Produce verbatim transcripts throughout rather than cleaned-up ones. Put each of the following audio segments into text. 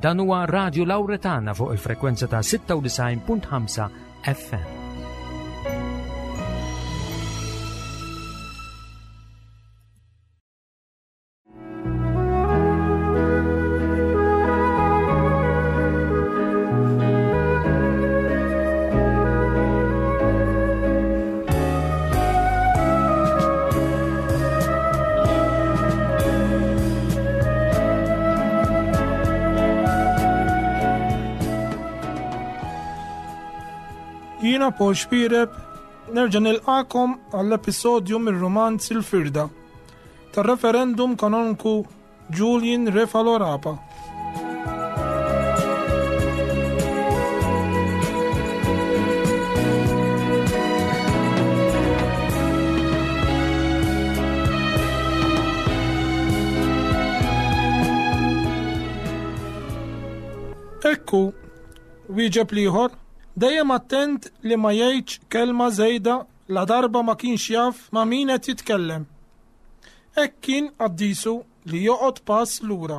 Dan huwa Radio Lauretana fuq il-frekwenza ta' sitta u disgħin punt ħamsa F M. Jiena Paul Xpireb, nerġa' nilqakom għall-episodju mir-romanz Il-Firda tar-reverend kanonku Julian Refalo Rapa. Ekku, wieġeb l-ieħor, dejjem attent li ma jgħidx kelma żejda la darba ma kienx jaf ma' min qed jitkellem. Hekk kien qaddisu li joqgħod pass lura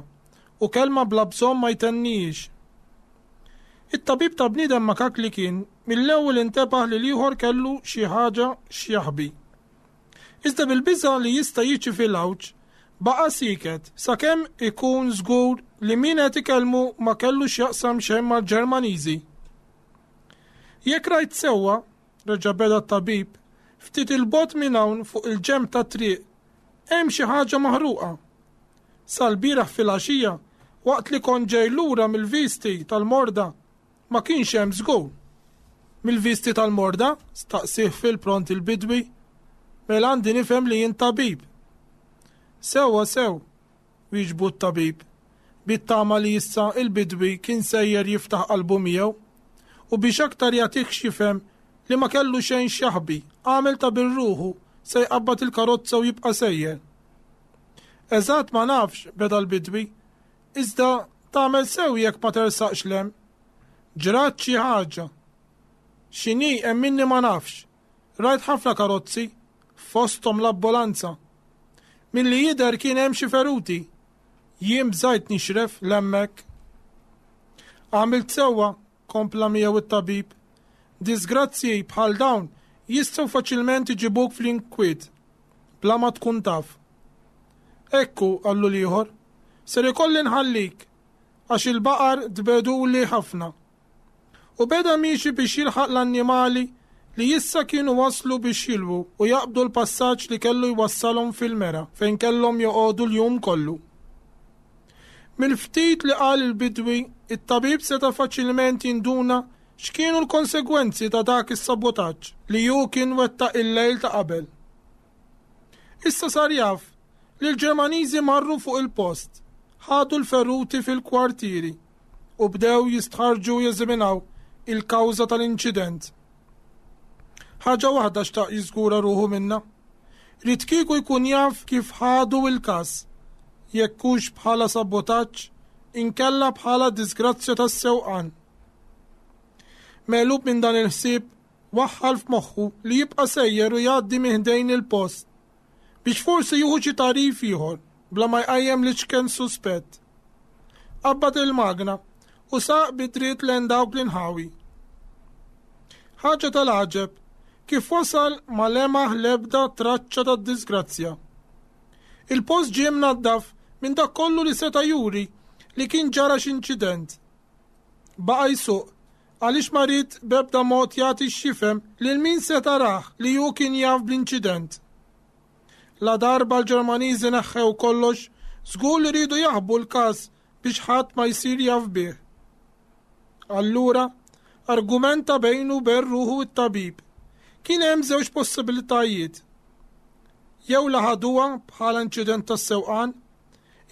u kelma bla bżonn ma jtennijiex. It-tabib ta' bniedem makak li kien mill-ewwel intebaħ li l-ieħor kellu xi ħaġa x'jaħbi. Iżda bil-biża li jista' jiġi fil-għawġ, baqa' sieket sakemm ikun żgur li min qed ikellmu ma kellu x'jaqsam xejn mal-Ġermaniżi. Jekk rajt sewwa, reġa' beda t-tabib, ftit il-bogħod minn hawn fuq il-ġenb ta' triq hemm xi ħaġa maħruqa. Sal-bieraħ fil-għaxija, waqt li kont ġej lura mill-visti tal-morda, ma kienx hemm żgur. Mill-visti tal-morda? Staqsih fil-pront il-bidwi. Mela għandi nifhem li jien tabib. Sewwa sew, wieġbu t-tabib, bit-tama li issa il-bidwi kien sejjer jiftaħ qalbu miegħu u biex aktar jagħtih x'jifhem li ma kellu xejn x'jaħbi, għamel ta' birruħu se jqabbad il-karozza u jibqa' sejjer. Eżatt ma nafx, beda l-bidwi, iżda tagħmel sew jekk ma tersaqx 'l hemm. Ġrat xi ħaġa. X'inhi emminni ma nafx. Rajt ħafna karozzi, fosthom l-ambulanza. Milli jidher kien hemm xi feruti. Jien bżajt nixref 'l hemmhekk. Għamilt sewwa, kompla miegħu it-tabib. Disgrazzji bħal dawn jistgħu faċilment iġibuk fl-inkwiet bla ma tkun taf. Ekku, qallu l-ieħor, ser ikolli nħallik għax il-baqar tbegħduli ħafna. U beda miexi biex jilħaq l-annimali li issa kienu waslu biex jilwu u jaqbdu l-passaġġ li kellu jwassalhom fil-mergħa fejn kellhom joqogħdu l-jum kollu. Mill-ftit li qal il-bidwi, it-tabib seta' faċilment jinduna x'kienu l-konsegwenzi ta' dak is-sabotaġġ li hu kien wettaq il-lejl ta' qabel. Issa sar jaf li l-Ġermaniżi marru fuq il-post, ħadu l-feruti fil-kwartieri u bdew jistħarġu jeżaminaw il-kawża tal-inċident. Ħaġa waħda xtaq jiżgura ruħu minna. Ried kieku jkun jaf kif ħadu il-każ, jekk hux bħala sabotaġġ, inkella bħala disgrazzja tas-sewqan. Megħlub minn dan il-ħsieb, waħħal f'moħħu li jibqa' sejjer u jgħaddi minn ħdejn il-post biex forsi jieħu xi tagħrif ieħor bla ma jqajjem l-iċken suspett. Qabbad il-magna u saq bidriet lejn dawk l-inħawi. Ħaġa tal-għaġeb, kif wasal ma lemaħ lebda traċċa tad-disgrazzja. Il-post ġie mnaddaf minn dak kollu li seta' juri li kien ġara x'inċident. Baqa' jsuq għaliex ma ried b'ebda mod jagħti x'jifhem lil min seta' rah li hu kien jaf bl-inċident. La darba l-Ġermaniżi neħħew kollox, żgur li riedu jaħbu l-każ biex ħadd ma jsir jaf bih. Allura, argumenta bejnu bejn ruħu it-tabib. Kien hemm żewġ possibilitajiet. Jew la ħaduha bħala inċident tas-sewqan,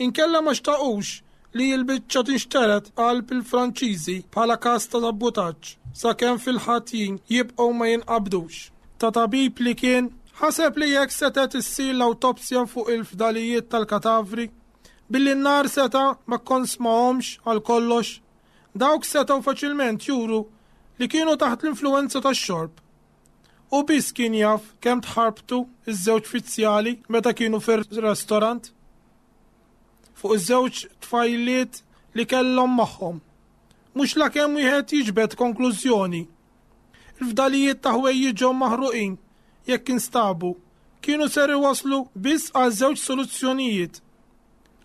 inkella ma xtaqux li l-biċċa tinxteret qalb il-Franċiżi bħala każ ta' sabotaġġ sakemm fil-ħatjin jibqgħu ma jinqabdux. Ta' tabib li kien, ħaseb li jekk setet issir l-awtopsja fuq il-fdalijiet tal-katavri, billi n-nar seta' ma konsmahomx għal kollox, dawk setgħu faċilment juru li kienu taħt l-influenza tax-xorb. U biss kien jaf kemm tħarbtu iż-żewġ fizzjali meta kienu fir-restorant. Fuq iż-żewġ tfajliet li kellhom magħhom. Mhux lakemm wieħed jiġbed konklużjoni. Il-fdalijiet ta' ħwejjiġhom maħruqin, jekk instabu, kienu ser iwasslu biss għal żewġ soluzzjonijiet: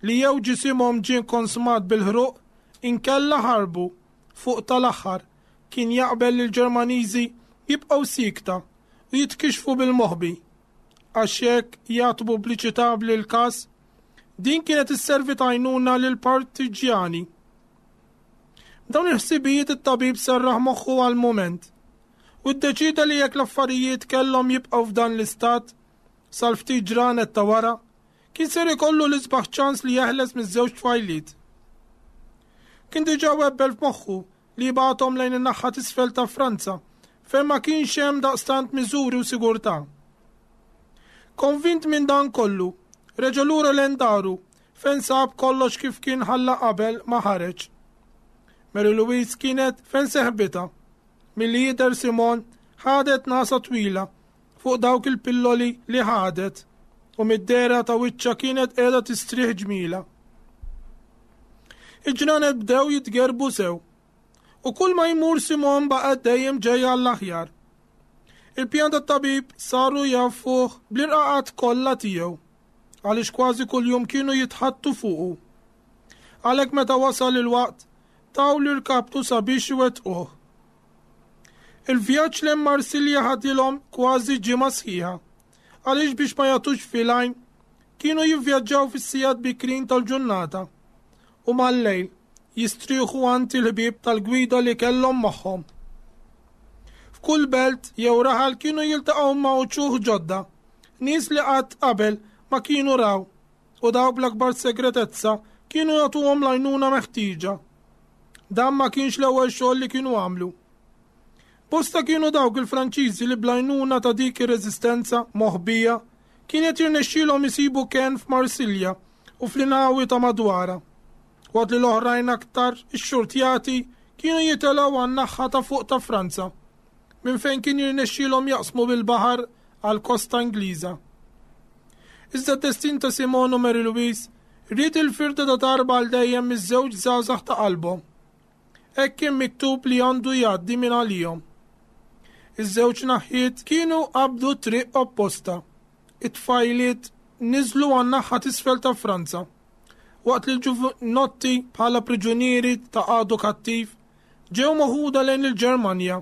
li jew ġisimhom ġie konsmat bil-ħruq, inkella ħarbu. Fuq tal-aħħar kien jaqbel li l-Ġermaniżi jibqgħu siekta u jitkixxfu bil-moħbi, għax jekk jagħtu pubbliċità lil każ, din kienet isservi t'għajnuna lil partiġjani. Dawn il-ħsibijiet it-tabib serraħ moħħu għal mument u ddeċida li jekk l-affarijiet kellhom jibqgħu f'dan l-istat sal-ftit ġranet ta' wara, kien ser ikollu l-isbaħ ċans li jeħles miż-żewġ tfajliet. Kien diġà webbel f'moħħu li jibgħathom lejn in-naħa t'isfel ta' Franza, fejn ma kienx hemm daqstant miżuri u sigurtà. Konvint minn dan kollu, reġa' lura lejn daru, fejn sab kollox kif kien ħalla qabel ma ħareġ. Mary Louise kienet fejn seħbitha. Milli jidher, Simon ħadet nagħsa twila fuq dawk il-pilloli li ħadet u mid-dehra ta' wiċċha kienet qiegħda tistrieħ ġmila. Il-ġranet bdew jitgerbu sew u kull ma jmur Simon baqgħet dejjem ġejja l-aħjar. Il-pjan tat-tabib saru jafuh bl-irqaqat kollha tiegħu, għaliex kważi kuljum kienu jitħaddtu fuqu. Għalhekk, meta wasal il-waqt, taw l-irkaptu sabiex iwettquh. Il-vjaġġ lejn Marsilja ħadilhom kważi ġimgħa sħiħa, għaliex biex ma jagħtux fil-għajn kienu jivvjaġġaw fis-sigħat bikrin tal-ġurnata u mal-lejl jistrieħu għand il-ħbieb tal-gwida li kellhom magħhom. F'kull belt jew raħal kienu jiltaqgħu ma' uċuħ ġodda, nies li qatt qabel ma kienu raw, u daw bl-akbar segretezza kienu jagħtuhom l-għajnuna meħtieġa. Dan ma kienx l-ewwel xogħol li kienu għamlu. Bosta kienu dawk il-Franċiżi li bl-għajnuna ta' dik ir-reżistenza moħbija kienet jirnexxielhom isibu kenn f'Marsilja u fl-inħawi ta' madwarha, waqt li l-oħrajn aktar ixxurtjati kienu jitilgħu għan-naħa ta' fuq ta' Franza, minn fejn kien jirnexxielhom jaqsmu bil-baħar għal kosta Ingliża. Iżda d-destin ta' Simon u Mary Louise ried il-firda ta' darba għal dejjem miż-żewġ żgħażagħ ta' qalbhom. Hekk kien miktub li għandu jgħaddi minn għalihom. Iż-żewġ naħiet kienu qabdu triq opposta. It-tfajliet niżlu għan-naħa t'isfel ta' Franza, waqt li l-ġuvinotti, bħala priġunieri ta' għadu kattiv, ġew meħuda lejn il-Ġermanja,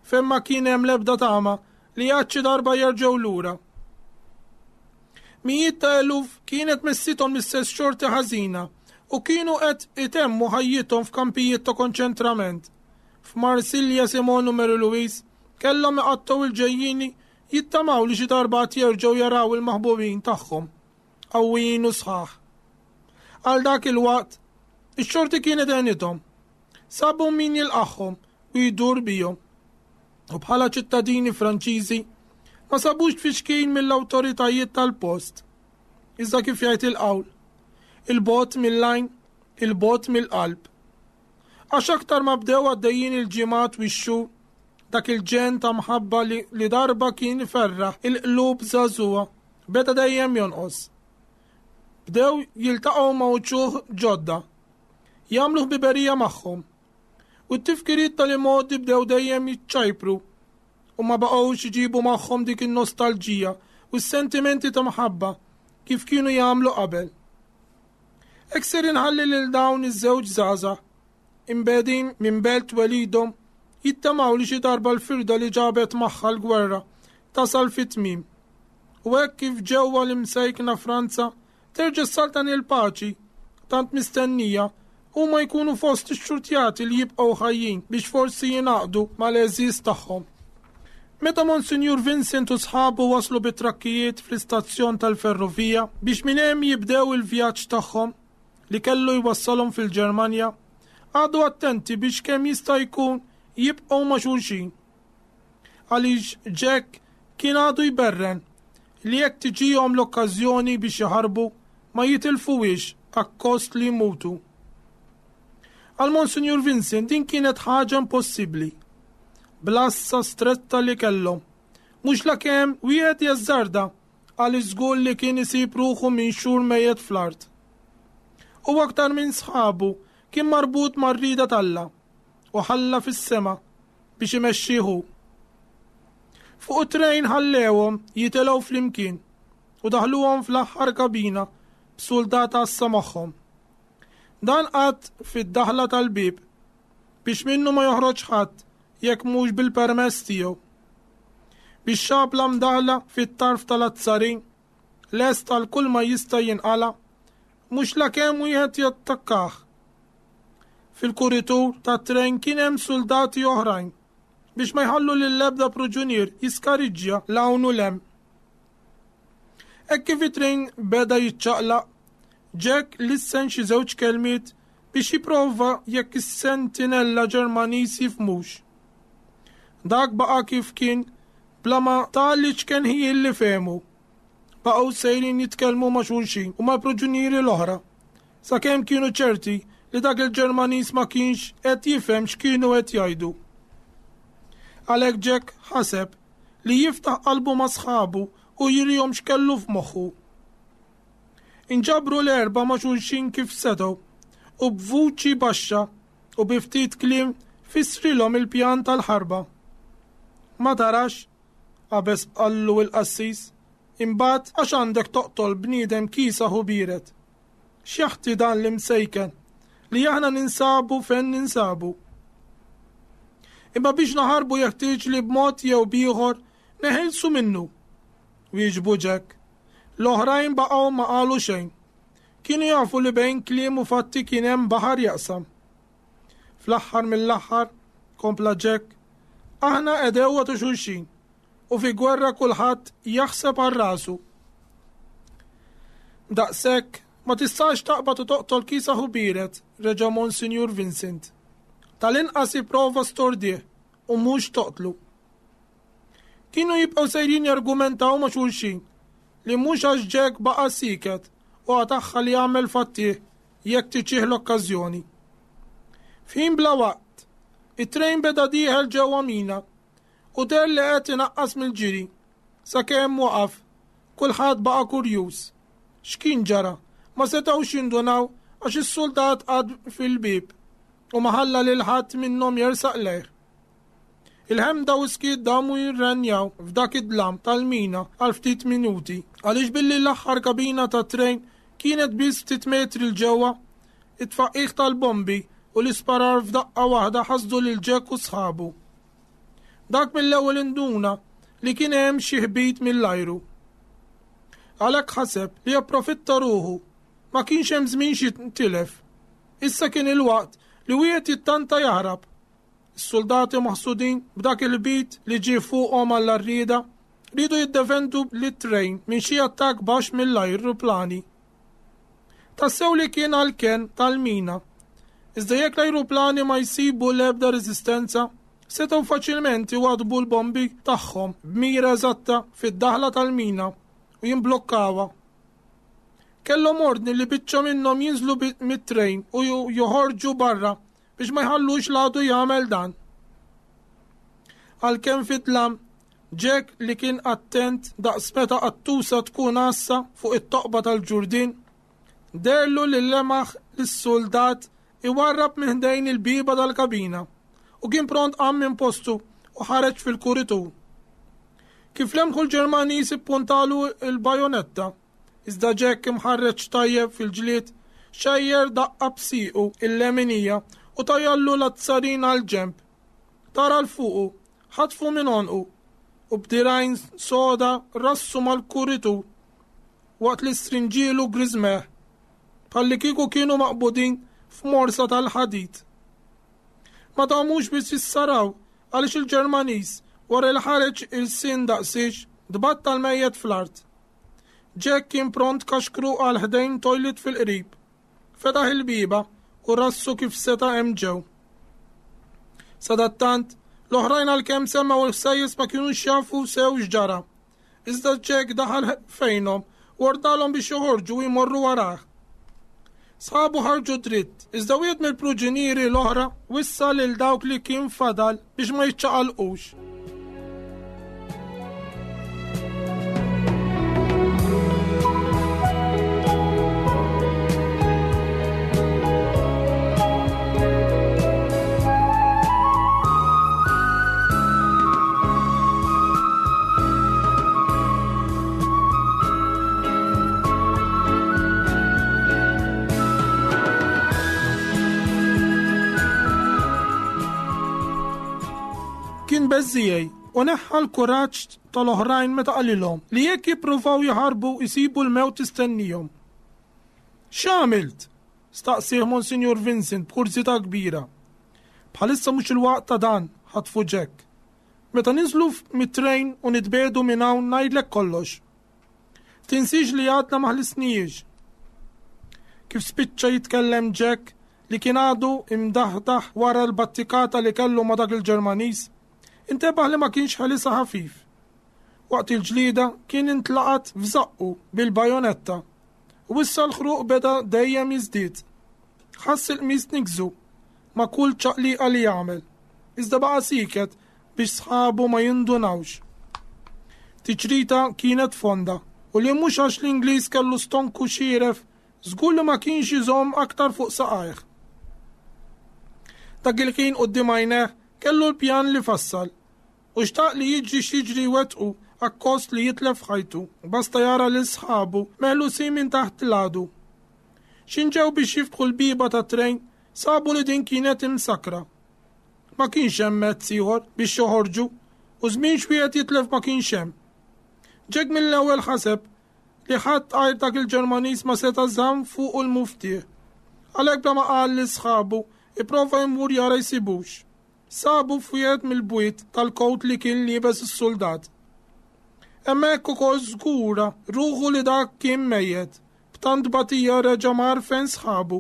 fejn ma kien hemm l-ebda tama li għad xi darba jerġgħu lura. Mijiet ta' eluf kienet missithom l-istess xorti ħażina u kienu qed itemmu ħajjithom f'kampijiet ta' konċentrament. F'Marsilja, Simon u Mary Louise kellhom iqattgħu il-ġejjini jittamaw li xi darba jerġgħu jaraw il-maħbubin tagħhom qawwijin u sħaħ. Għal dak il-waqt, ix-xorti kienet għenithom. Sabu min jilqagħhom u jdur bihom. U bħala ċittadini Franċiżi ma sabux tfixkil mill-awtoritajiet tal-post. Iżda kif jgħid il-qawl, 'il bogħod mill-għajn, 'il bogħod mill-qalb. Għax aktar ma bdew għaddejjin il-ġimgħat u x-xhur, dak il-ġenn ta' mħabba li, li darba kien ferraħ il-qlub żagħżugħa beda dejjem jonqos. Bdew jiltaqgħu ma' uċuħ ġodda, jagħmlu ħbiberija magħhom. U t-tifkiriet tal-imgħoddi bdew dejjem jiċċajpru u ma baqgħux iġibu magħhom dik in-nostalġija u s-sentimenti ta' mħabba kif kienu jagħmlu qabel. Hekk ser inħalli lil dawn iż-żewġ żgħażagħ imbegħdin minn belt twelidhom, jittamaw li xi darba l-firda li ġabet magħha l-gwerra tasal fit-tmim. U hekk kif ġewwa l-imsejkna Franza terġa' saltan il-paċi tant mistennija, huma jkunu fost ix-xurtjati li jibqgħu ħajjin biex forsi jingħaqdu mal-għeżież tagħhom. Meta Monsinjur Vincent u sħabu waslu bit-trakkijiet fl-istazzjon tal-ferrovija biex minn hemm jibdew il-vjaġġ tagħhom li kellu jwassalhom fil-Ġermanja, qagħdu attenti biex kemm jista' jkun jibqgħu ma' xulxin. Għaliex Jack kien għadu jberren li jekk tiġihom l-okkażjoni biex jaħarbu, ma jitilfuhiex akkost li jmutu. Għal Monsinjur Vincent din kienet ħaġa impossibbli. Bl-għassa stretta li kellhom, mhux la kemm wieħed jażżarda, għal żgur li kien isib ruħu minn xhur mejjet fl-art. U aktar minn sħabu kien marbut mar-rieda t'Alla u ħalla fis-sema biex imexxih hu. Fuq it-trejn ħallewhom jitilgħu flimkien u daħluhom fl-aħħar kabina b'suldat għassa magħhom. Dan qagħad fid-daħla tal-bieb biex minnu ma joħroġ ħadd jekk mhux bil-permess tiegħu. Bix-xabla mdaħla fit-tarf tal-azzarin, lest għal kull ma jista' jinqala, mhux lakemm wieħed jattakkah. Fil-kuritur tat-trejn kien hemm suldati oħrajn biex ma jħallu lill-ebda pruġunier jiskariġġja 'l hawn u 'l hemm. Hekk kif it-trejn beda jiċċaqlaq, Jack lissen xi żewġ kelmiet biex jipprova jekk is-sentinella Ġermaniż jifhmux. Dak baqa' kif kien bla ma ta l-iċken ħjiel li fehmu. Baqgħu sejrin jitkellmu ma' xulxin u mal-pruġunieri l-oħra, sakemm kienu ċerti li dak il-Ġermaniż ma kienx qed jifhem x'kienu qed jgħidu. Għalhekk Jack ħaseb li jiftaħ qalbu ma' sħabu u jurihom x'kellu f'moħħu. Inġabru l-erba' ma' xulxin kif setgħu u b'vuċi baxxa u bi ftit kliem fissrilhom il-pjan tal-ħarba. Ma tarax, qabeż qallu il-qassis, imbagħad għax għandek toqtol bniedem kiesaħ u biered. X'jaħti dan l-imsejken li aħna ninsabu fejn ninsabu. Imma biex naħarbu jeħtieġ li b'mod jew b'ieħor neħilsu minnu. Wieġbu Jack. L-oħrajn baqgħu ma qalu xejn. Kienu jafu li bejn kliem u fatti kien hemm baħar jaqsam. Fl-aħħar mill-aħħar, kompla Jack, aħna għedewwa ta' xulxin u fi gwerra kulħadd jaħseb għal rasu. Daqshekk ma tistax taqbad u toqtol kiesaħ u biered, reġa' Monsinjur Vincent. Tal-inqas ipprova stordih u mhux toqtlu. Kienu jibqgħu sejrin jargumentaw ma' xulxin li mhux għax Jack baqa' siket u għataħħa li jagħmel fattih jekk tiġih l-okkażjoni. F'ħin bla waqt, it-trejn beda dieħel ġewwa mina u deher li qed inaqqas mill-ġiri sakemm waqaf, kulħadd baqa' kurjuż. X'kien ġara? Ma setgħux jindunaw għax is-suldat qagħad fil-bieb u ma ħalla lil ħadd minnhom jersaq lejh. Il-ħemda u skiet damu jirrenjaw f'dak id-dlam tal-mina għal ftit minuti, għaliex billi l-aħħar kabina tat-trejn kienet biss ftit metri 'l ġewwa, it-tfaqqigħ tal-bombi u l-isparar f'daqqa waħda ħasdu lil Jack u sħabu. Dak mill-ewwel induna li kien hemm xi ħbit mill-ajru. Għalhekk ħaseb li japprofitta ruħu, ma kienx hemm żmien xi tilef. Issa kien il-waqt li wieħed jittanta jaħrab. Is-soldati maħsudin b'dak il-bit li ġie fuqhom għall-arrieda riedu jiddefendu lit-trejn minn xi attakk baxx mill-ajruplani. Tassew li kien għall-kenn tal-mina. Iżda jekk l-ajruplani ma jsibu l-ebda reżistenza, setgħu faċilment iwadbu l-bombi tagħhom b'mira eżatta fid-daħla tal-mina u jimblokkawha. Kellhom ordni li biċċa minnhom jinżlu mit-trejn u joħorġu barra biex ma jħallux l-għadu jagħmel dan. Għalkemm fid-dlam, Jack li kien attent daqs meta qattusa tkun għassa fuq it-toqba tal-ġurdin, deherlu li lemaħ lis-soldat iwarrab minn ħdejn il-bieba tal-kabina u kien pront qam minn postu u ħareġ fil-kuritur. Kif lemħu l-Ġermaniż ippuntalu il-bajonetta, iżda Jack imħarreġ tajjeb fil-ġlied, xejjer daqqa b'siequ il-leminija u tajjallu l-azzarin għal ġemb. Tara 'l fuqu, ħatfu minn għonqu u b'dirgħajn soda rassu mal-kuritur waqt li strinġielu griżmejh, bħalli kieku kienu maqbudin f'morsa tal-ħadid. Ma damux biex jissaraw għaliex il-Ġermaniż wara li ħareġ il-sin daqsiex tbattal mejjet fl-art. Jack kien pront kaxkru għal ħdejn toilet fil-qrib. Fetaħ il-bieba u rassu kif seta' hemm ġew. Sadattant, l-oħrajn għalkemm semgħu l-ħsejjes ma kinux jafu sew x'ġara. Iżda Jack daħal fejnhom u ordnalhom biex joħorġu u jmorru warah. Sħabu ħarġu dritt, iżda wieħed mill-pruġinieri l-oħra wissa lil dawk li kien fadal biex ma jiċċaqalqux. beżżiegħi u neħħa l-kuraġġ tal-oħrajn meta qalilhom li jekk jippruvaw jaħarbu jsibu l-mewt tistennihom. X'għamilt? Staqsieh Monsinjur Vincent b'kurżità kbira. Bħalissa mhux il-waqt ta' dan, ħatfu Jack. Meta ninżlu mit-trejn u nitbiegħdu minn hawn ngħidlek kollox. Tinsiex li għadna ma ħlisnijiex. Kif spiċċa jitkellem Jack li kien għadu imdaħdaħ wara l-battikata li kellu ma' dak il-Ġermaniż, intebaħ li ma kienx ħelisha ħafif. Waqt il-ġlida kien intlaqat f'żaqqu bil-bajonetta u issa l-ħruq beda dejjem jiżdied. Ħass il-qmis nigżu ma' kull ċaqliqa li jagħmel, iżda baqa' sieket biex sħabu ma jindunawx. Tiċrita kienet fonda u li mhux għax l-Ingliż kellu stonku xieref żgur li ma kienx iżomm aktar fuq saqajh. Dak il-ħin quddiem għajnejh kellu l-pjan li fassal u xtaq li jiġri x'jiġri wettqu akkost li jitlef ħajtu, basta jara lil sħabu meħlusin minn taħt l-għadu. X'ħin ġew biex jiftħu l-bieba tat-trejn, sabu li din kienet imsakra. Ma kienx hemm mezz ieħor biex joħorġu u żmien x'wieħed jitlef ma kienx hemm. Jack mill-ewwel ħaseb li ħadd għajr dak il-Ġermaniż ma seta' żamm fuq il-muftieħ. Għalhekk bla ma qal lil sħabu ipprova jmur jara jsibux. Sabu f'wieħed mill-bwiet tal-kowt li kien liebes is-suldat. Hemmhekk ukoll żgura ruħu li dak kien mejjet, b'tant batija reġa' mar fejn sħabu.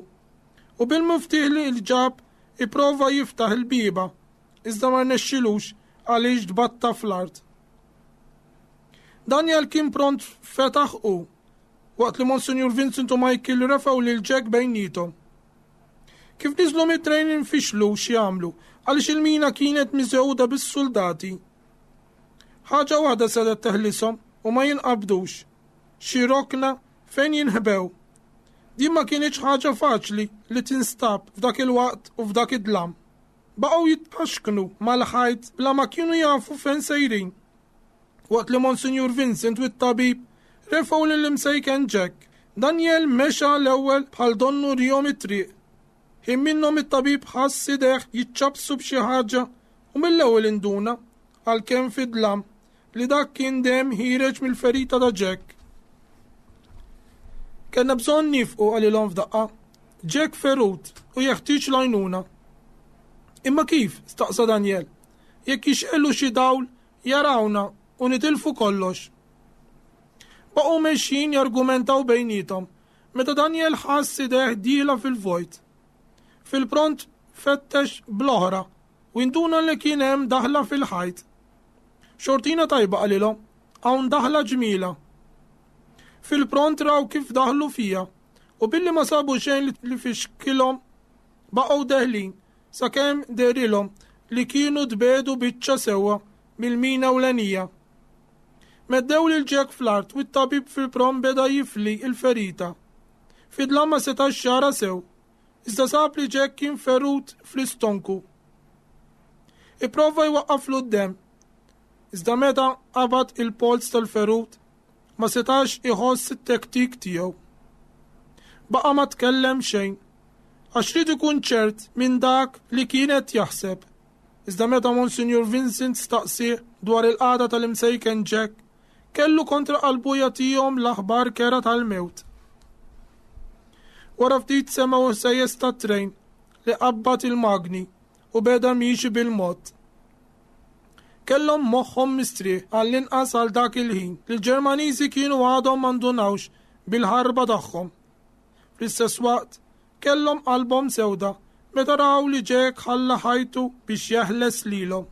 U bil-muftieħ li ġab ipprova jiftaħ il-bieba, iżda ma rnexxilux għaliex tbatta fl-art. Daniel kien pront fetaħ u, waqt li Monsinjur Vincent u Michael refgħu lil Jack bejniethom. Kif niżlu mit-trejn infixlu x'jagħmlu għaliex il-mina kienet miżewda bis-soldati. Ħaġa waħda setgħet teħlishom u ma jinqabdux, xi rokna fejn jinħbew. Din ma kienx ħaġa faċli li tinstab f'dak il-waqt u f'dak id-dlam. Baqgħu jitpaxknu mal-ħajt bla ma kienu jafu fejn sejrin. Waqt li Monsinjur Vincent u t-tabib refgħu lill-imsejken Jack, Daniel mexa l-ewwel bħal donnu wriehom it-triq. Ħin minnhom it-tabib ħass idejh jiċċabsu b'xi ħaġa u mill-ewwel induna għalkemm fid-dlam li dak kien demm ħiereġ mill-ferita ta' Jack. Kellna bżonn nieqfu qalilhom f'daqqa. Jack ferut u jeħtieġ l-għajnuna. Imma kif? Staqsa Daniel. Jekk jixgħelu xi dawl jarawna u nitilfu kollox. Baqgħu mexjin jargumentaw bejniethom meta Daniel ħass idejh dieħla fil-vojt. Fil-pront fettex bl-oħra u induna li kien hemm daħla fil-ħajt. Xortina tajba qalilhom, hawn daħla ġmila. Fil-pront raw kif daħlu fija u billi ma sabu xejn li fixkilhom baqgħu deħlin sakemm dehrilhom li kienu tbiegħdu biċċa sewwa mill-mina ewlenija. Meddew lil Jack fl-art u t-tabib fil-pront beda jifli il-ferita. Fid-dlam ma setax jara sew, iżda sab li Jack kien ferut fl-istonku. Ipprova jwaqqaflu d-demm, iżda meta qabad il-polz tal-ferut ma setax iħoss it-tektik tiegħu. Baqa' ma tkellem xejn, għax ried ikun ċert minn dak li kienet jaħseb. Iżda meta Monsinjur Vincent staqsieh dwar il-qagħda tal-imsejken Jack, kellu kontra qalbu jagħtihom l-aħbar kerha tal-mewt. Wara ftit semgħu ħsejjes tat-trejn li qabbad il-magni u beda miexi bil-mod. Kellhom moħħhom mistrieħ għall-inqas għal dak il-ħin li l-Ġermaniżi kienu għadhom ma ndunawx bil-ħarba tagħhom. Fl-istess waqt kellhom qalbhom sewda meta raw li Jack ħalla ħajtu biex jeħles lilhom.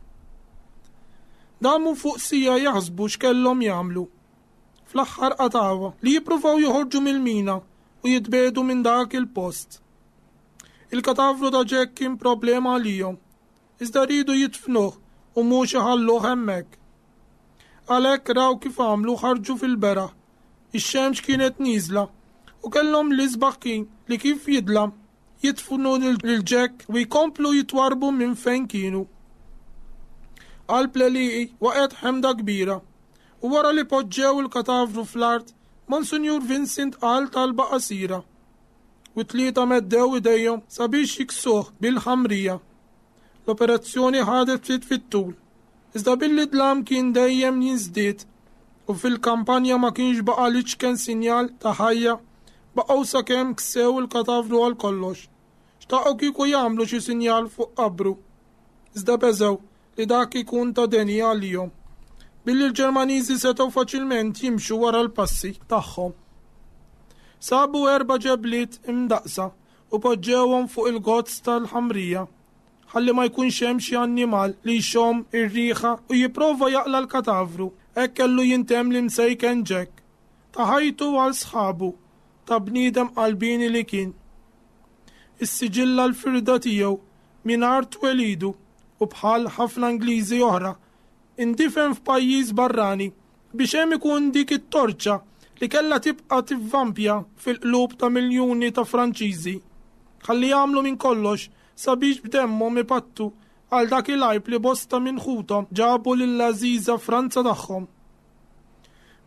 Damu fuq siegħa jaħsbu x'kellhom jagħmlu. Fl-aħħar qatgħuha li jippruvaw joħorġu mill-mina u jitbiegħdu minn dak il-post. Il-katavru ta' Jack kien problema għalihom, iżda riedu jidfnuh u mhux iħalluh hemmhekk. Għalhekk raw kif għamlu ħarġu fil-beraħ. Ix-xemx kienet nieżla u kellhom l-isbaħ kien li kif jidlam jidfnu lil Jack u jkomplu jitwarbu minn fejn kienu. Qalb l-għelieqi waqgħet ħemda kbira u wara li poġġew il-katavru fl-art, Monsinjur Vincent qal talba qasira u tlieta meddew idejhom sabiex jiksuh bil-ħamrija. L-operazzjoni ħadet ftit fit-tul Iżda billi d-dlam kien dejjem jiżdied u fil-kampanja ma kienx baqa' l-iċken sinjal ta' ħajja, baqgħu sakemm ksew il-katavru għal kollox. Xtaqgħu kieku jagħmlu xi sinjal fuq qabru. Iżda beżgħu li dak ikun ta' deni għalihom. Billi l-Ġermaniżi setgħu faċilment jimxu wara l-passi tagħhom. Sabu erba' ġebliet imdaqsa u poġġewhom fuq il-gozz tal-ħamrija ħalli ma jkunx hemm xi annimal li jxomm ir-riħa u jipprova jaqla' l-katavru. Hekk kellu jintemm l-imsejken Jack. Ta ħajtu għal sħabu, ta' bniedem qalbieni li kien. Issiġilla l-firda tiegħu minn art twelidu u bħal ħafna Ingliżi oħra indifen f'pajjiż barrani biex hemm ikun dik it-torċa li kellha tibqa' tivvampja fil-qlub ta' miljuni ta' Franċiżi. Ħalli jagħmlu minn kollox sabiex b'demmhom ipattu għal dak il-għajb li bosta minn ħuthom ġabu lill-għażiża Franza tagħhom.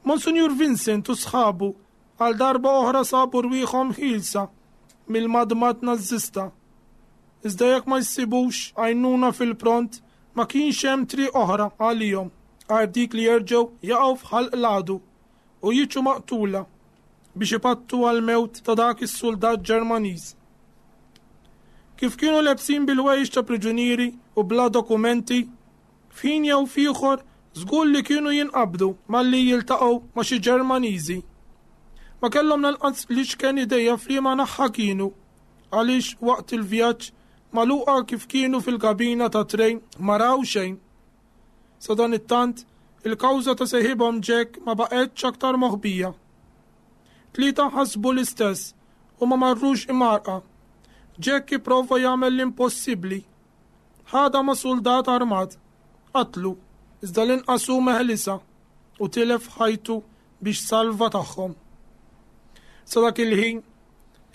Monsinjur Vincent u sħabu għal darba oħra sabu rwieħhom ħielsa mill-madmad Nażista. Iżda jekk ma jsibux għajnuna fil-pront, ma kienx hemm triq oħra għalihom għajr dik li jerġgħu jaqgħu f'ħalq l-għadu u jiġu maqtula biex ipattu għall-mewt ta' dak is-suldat Ġermaniż. Kif kienu lebsin bil-ħwejjeġ ta' priġunieri u bla dokumenti, f'ħin jew f'ieħor żgur li kienu jinqabdu malli jiltaqgħu ma' xi Ġermaniżi. Ma kellhom lanqas l-iċken idea f'liema naħa kienu, għaliex waqt il-vjaġġ magħluqa kif kienu fil-kabina ta' trejn ma raw xejn. Sadanittant, il-kawża ta' seħibhom Jack ma baqgħetx aktar moħbija. Tlieta ħasbu l-istess u ma marrux imgħarrqa. Jack ipprova jagħmel l-impossibbli. Ħadha ma' suldat armat, qatlu, iżda l-inqas hu meħlisa u tilef ħajtu biex salva tagħhom. Sa dak il-ħin,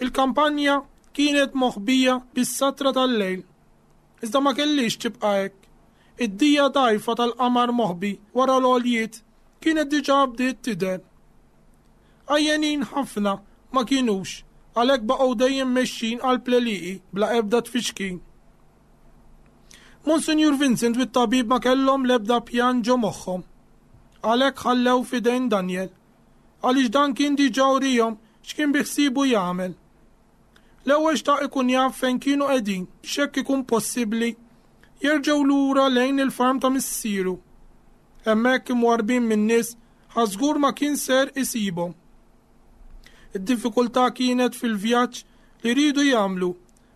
il-kampanja kienet moħbija bis-satra tal-lejl. Iżda ma kellix tibqa' hekk. Id-dija dgħajfa tal-qamar moħbi wara l-għoljiet kienet diġà bdiet tidher. Għajjenin ħafna ma kinux, għalhekk baqgħu dejjem mexjin qalb l-għelieqi bla ebda tfixkil. Monsinjur Vincent u t-tabib ma kellhom l-ebda pjan ġo moħħhom. Għalhekk ħallew f'idejn Daniel, għaliex dan kien diġà urihom x'kien biħsiebu jagħmel. L-ewwel xtaq ikun jaf fejn kienu qegħdin biex hekk ikun possibbli jerġgħu lura lejn il-farm ta' missieru. Hemmhekk imwarrbin min-nies ħadd żgur ma kien ser isibhom. Id-diffikultà kienet fil-vjaġġ li riedu jagħmlu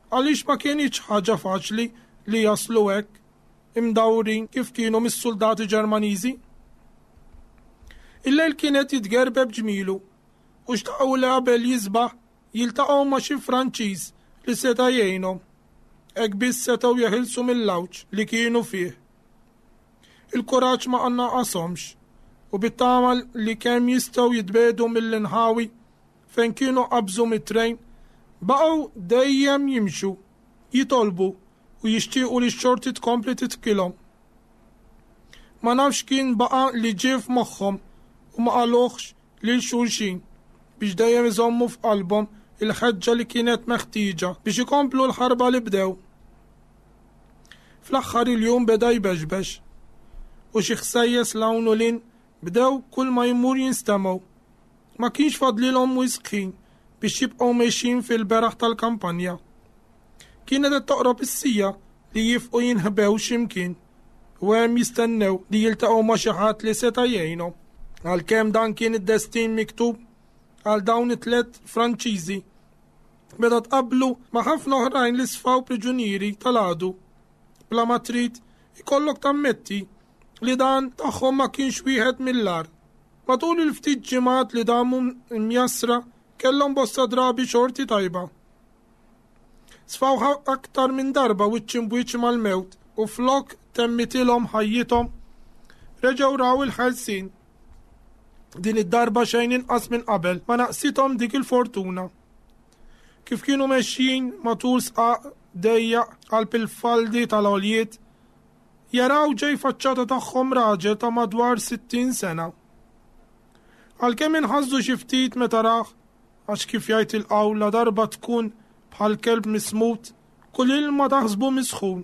għaliex ma kienitx ħaġa faċli li jaslu hekk imdawrin kif kienu mis-soldati Ġermaniżi. Il-lejl kien qed jitgerbeb ġmielu u xtaqgħu li qabel jisbaħ jiltaqgħu ma' xi Franċiż li seta' jgħinhom. Hekk biss setgħu jeħilsu mill-għawġ li kienu fih. Il-kuraġġ ma naqashomx u bit-tama li kemm jistgħu jitbiegħdu mill-inħawi fejn kienu qabżu mit-trejn, baqgħu dejjem jimxu, jitolbu u jixtiequ li x-xorti tkompli tidħkilhom. Ma nafx kien baqa' li ġie f'moħħhom u ma qaluhx lil xulxin biex dejjem iżommu f'qalbhom il-ħeġġa li kienet meħtieġa biex ikomplu l-ħarba li bdew. Fl-aħħar il-jum beda jbexbex u xi ħsejjes 'l hawn u 'l hinn bdew kull ma jmur jinstemgħu. Ma kienx fadlilhom wisq ħin biex jibqgħu mexjin fil-beraħ tal-kampanja. Kienet qed toqrob is-siegħa li jifqu jinħbew x'imkien u hemm jistennew li jiltaqgħu ma' xi ħadd li seta' jgħinhom. Għalkemm dan kien id-destin miktub għal dawn it-tliet Franċiżi, meta tqabblu ma' ħafna oħrajn li sfaw priġunieri tal-għadu. Bla ma trid ikollok tammetti li dan tagħhom ma kienx wieħed mill-agħar. Matul il-ftit ġimgħat li damu mjassra kellhom bosta drabi xorti tajba. Sfaw aktar minn darba wiċċ imbwiċċ mal-mewt u flok temmitilhom ħajjithom reġgħu raw il-ħelsien. Din id-darba xejn inqas minn qabel ma naqsithom dik il-fortuna. Kif kienu mexjin matul sqaq dejjaq qalb il-faldi tal-għoljiet, jaraw ġej faċċata tagħhom raġel ta' madwar sittin sena. Għalkemm inħasdu xi ftit meta rah, għax kif jgħid il-qawla darba tkun bħal kelb mismut, kull ilma taħsbu misħun.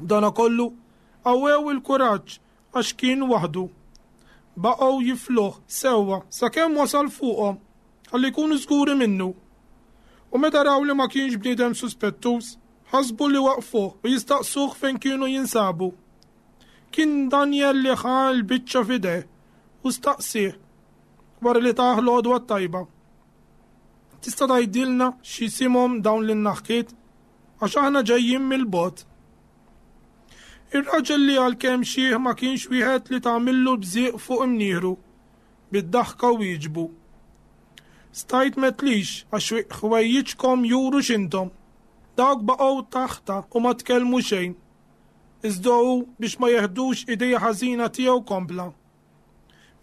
Dana kollu Qawwew il-kuraġġ għax kien waħdu. Baqgħu jifluh sewwa sakemm wasal fuqhom ħalli jkunu żguri minnu. U meta raw li ma kienx bniedem suspettuż, ħasbu li waqfuh u jistaqsuh fejn kienu jinsabu. Kien Daniel li ħa l-biċċa f'idejh u staqsieh wara li tah l-għodwa t-tajba. Tista' tgħidilna x'isimhom dawn lin-naħkiet għax aħna ġejjin mill-bogħod. Ir-raġel li għalkemm xiħ ma kienx wieħed li tagħmillu bżieq fuq imnieħru, bid-daħka wieġbu. Stajt m'għedtlix għax ħwejjiġkom juru x'intom. Dawk baqgħu taħta u ma tkellmu xejn. Iżda hu biex ma jeħdux idea ħażina tiegħu kompla.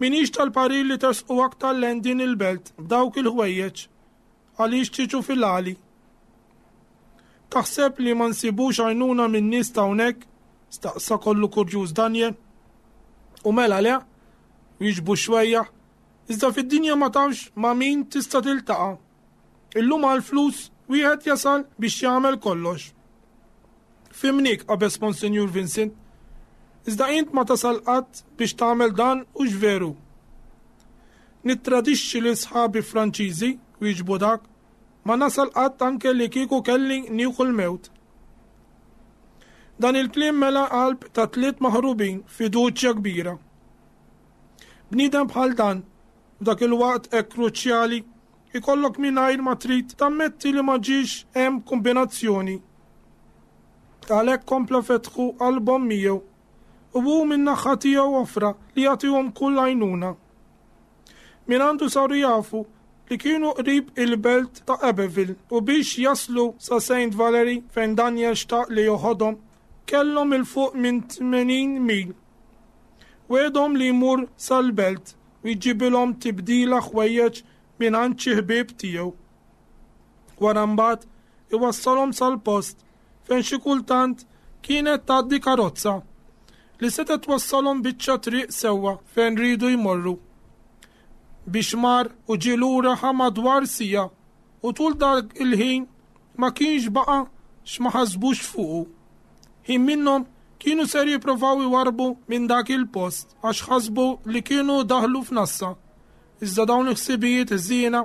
M'iniex tal-parir li tersqu aktar lejn din il-belt b'dawk il-ħwejjeġ għaliex tiġu fil-għali. Taħseb li ma nsibux għajnuna minn nies ta' hawnhekk? Staqsa kollu kurjuż Daniel. U mela le, wieġbu xwejjaħ, iżda fid-dinja ma tafx ma' min tista' tiltaqa'. Illum għall-flus wieħed jasal biex jagħmel kollox. Fhimniek, qabeż Monsinjur Vincent, iżda int ma tasal qatt biex tagħmel dan hux veru. Nittradixxi lil sħabi Franċiżi, wieġbu dak, ma nasal qatt anke li kieku kelli nieħu l-mewt. Dan il-kliem mela qalb ta' tliet maħrubin fiduċja kbira. Bniedem bħal dan, f'dak il-waqt hekk kruċjali, ikollok mingħajr ma trid tammetti li ma ġiex hemm kombinazzjoni. Għalhekk kompla fetħu qalbhom miegħu u hu min-naħa tiegħu offra li jagħtihom kull għajnuna. Min għandu saru jafu li kienu qrib il-belt ta' Abbeville u biex jaslu sa' Saint Valery fejn Daniel xtaq li joħodhom kellhom 'il fuq minn tmenin mil. Wegħedhom li jmur sal-belt u jġibilhom tibdila ħwejjeġ minn għand xi ħbieb tiegħu. Wara mbagħad iwassalhom sal-post fejn xi kultant kienet tgħaddi karozza li setgħet twassalhom biċċa triq sewwa fejn riedu jmorru. Biex mar u ġie lura ħa madwar siegħa u tul dak il-ħin ma kienx baqa' x'ma ħasbux fuqu. Ħin minnhom kienu ser jipprovaw iwarrbu minn dak il-post għax ħasbu li kienu daħlu f'nassa. Iżda dawn il-ħsibijiet ħżiena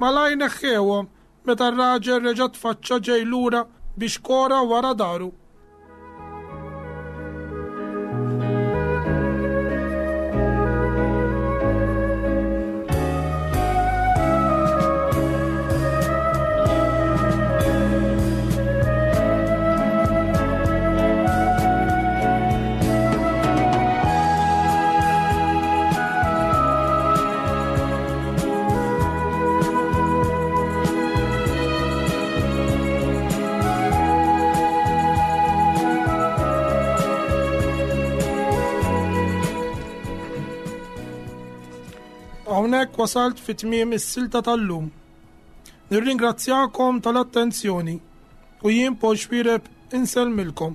malajr neħħewhom meta r-raġel reġa' tfaċċa ġej lura biex kora wara daru. Hawnhekk wasalt fi tmiem is-silta tal-lum. Nirringrazzjakom tal-attenzjoni u jien Paul Xuereb insellmilkom.